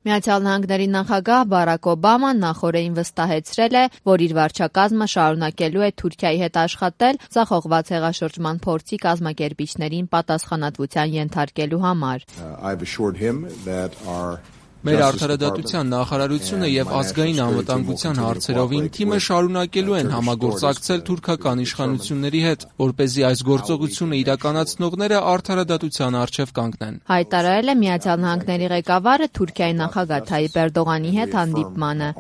Միացյալ Նահանգների նախագահ Բարաք Օբաման նախօրեին վստահեցրել է, որ իր վարչակազմը շարունակելու է Թուրքիայի հետ աշխատել ձախողված հեղաշրջման փորձի կազմակերպիչներին պատասխանատվության ենթարկելու համար։ Մեր արդարադատության նախարարությունը եւ ազգային անվտանգության հարցերով իմ թիմը շարունակելու են համագործակցել թուրքական իշխանությունների հետ, որպեսզի այս գործողությունը իրականացնողները արդարադատության առջև կանգնեն։ Հայտարարել է Միացյալ Նահանգների ղեկավարը Թուրքիայի նախագահ Թայիպ Էրդողանի հետ հանդիպմանը։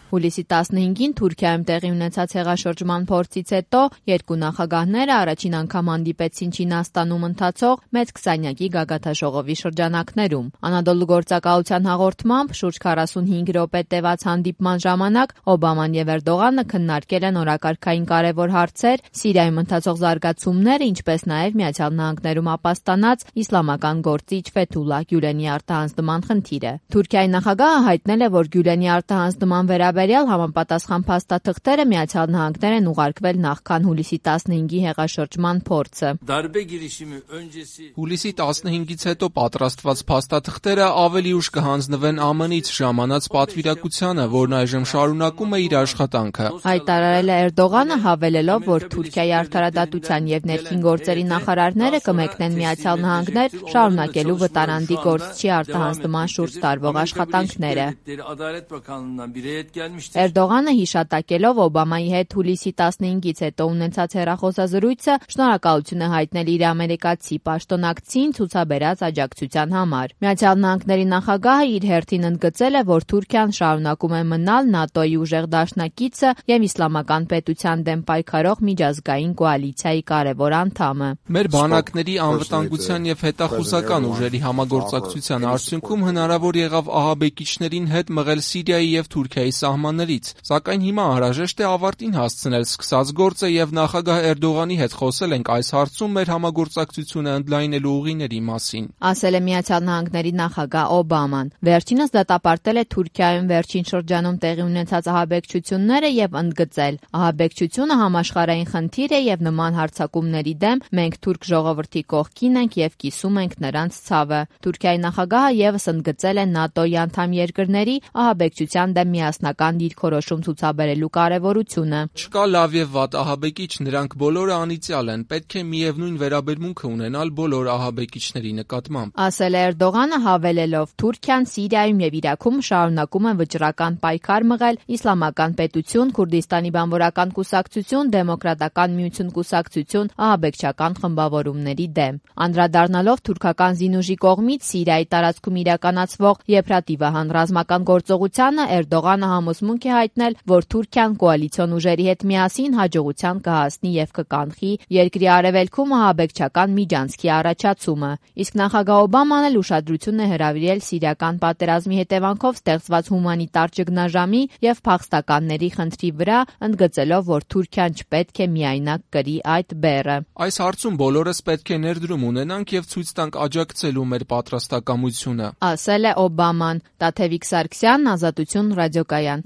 Հուլիսի 15-ին Թուրքիայում տեղի ունեցած հեղաշրջման փորձից հետո երկու նախագահները առաջին անգամ հանդիպեցին Չինաստանում ընթացող մեծ քսանյակի գագաթաժողովի շրջանակներում։ Անադոլու գործակալության հաղորդմամբ շուրջ 45 րոպե տևած հանդիպման ժամանակ Օբաման եւ Էրդողանը քննարկել են օրակարգային կարևոր հարցեր, Սիրիայում ընթացող զարգացումները, ինչպես նաեւ Միացյալ Նահանգներում ապաստանած իսլամական գործիչ Ֆեթուլլահ Գյուլենի արտահանձնման խնդիրը։ Թուրքիայի նախագահը հայտնել է, որ Գյուլենի արտահանձնման վերաբերյալ համապատասխան փաստաթղթերը Միացյալ Նահանգներ են ուղարկվել նախքան հուլիսի 15-ի հեղաշրջման փորձը։ Հուլիսի 15-ից հետո պատրաստված փաստաթղթերը ավելի ուշ կհանձնվեն ԱՄՆ-ից ժամանած պատվիրակությանը, որն այժմ շարունակում է իր աշխատանքը։ Հայտարարել է Էրդողանը, հավելելով, որ Թուրքիայի արդարադատության եւ ներքին գործերի նախարարները կմեկնեն Միացյալ Նահանգներ շարունակելու վտարանդի գործչի արտահանձնման շուրջ տարվող աշխատանքները։ Էրդողանը հիշատակելով Օբամայի հետ հուլիսի 15-ից հետո ունեցած հեռախոսազրույցը շնորհակալություն է հայտնել իր ամերիկացի պաշտոնակցին ցուցաբերած աջակցության համար։ Միացյալ Նահանգների նախագահը իր հերթին ընդգծել է, որ Թուրքիան շարունակում է մնալ ՆԱՏՕ-ի ուժեղ դաշնակիցը եւ իսլամական պետության դեմ պայքարող միջազգային կոալիցիայի կարևոր անդամը։ Մեր բանակների անվտանգության եւ հետախուզական ուժերի համագործակցության արդյունքում հնարավոր եղավ ահաբեկիչներին հետ մղել Սիրիայի եւ Թուրքիայի սահմաններից, սակայն հիմա անհրաժեշտ է ավարտին հասցնել սկսած գործը եւ նախագահ Էրդողանի հետ խոսել ենք այս հարցում մեր համագործակցությունը ընդլայնելու ուղիների մասին, ասել է Միացյալ Նահանգների նախագահ Օբաման։ Վերջինս դատապարտել է Թուրքիայում վերջին շրջանում տեղի ունեցած ահաբեկչությունները եւ ընդգծել. ահաբեկչությունը համաշխարհային խնդիր է եւ նման հարձակումների դեմ մենք թուրք ժողովրդի կողքին ենք եւ կիսում ենք նրանց ցավը։ Թուրքիայի նախագահը եւս ընդգծել է ՆԱՏՕ-ի անդամ երկրների ահաբեկչության դեմ միասնական դիրքորոշում ցուցաբերելու կարևորությունը։ Չկա լավ եւ վատ ահաբեկիչ, նրանք բոլորը անիծյալ են, պետք է միևնույն վերաբերմունքը ունենալ բոլոր ահաբեկիչների նկատմամբ, ասել է Էրդողանը, հավելելով. Թուրքիան Սիրիայում եւ Իրաքում շարունակում է վճռական պայքար մղել Իսլամական պետություն, Քուրդիստանի բանվորական կուսակցություն, Դեմոկրատական միություն կուսակցություն ահաբեկչական խմբավորումների դեմ։ Անդրադառնալով թուրքական զինուժի կողմից Սիրիայի տարածքում իրականացվող Եփրատիվահան ռազմական գործողությանը, Էրդողանը համոզմունք է հայտնել, որ Թուրքիան կոալիցիոն ուժերի հետ միասին հաջողության կհասնի եւ կկանխի երկրի արևելքում ահաբեկչական միջանցքի առաջացումը։ Իսկ նախագահ Օբաման էլ ուշադրություն է հրավիրել սիրիական պատերազմի հետևանքով ստեղծված հումանիտար ճգնաժամի եւ փախստականների խնդրի վրա, ընդգծելով, որ Թուրքիան չպետք է միայնակ կրի այդ բեռը։ Այս հարցում բոլորս պետք է ներդրում ունենանք եւ ցույց տանք աջակցելու մեր պատրաստակամությունը, ասել է Օբաման։ Տաթևիկ Սարգսյան, Ազատություն ռադիոկայան։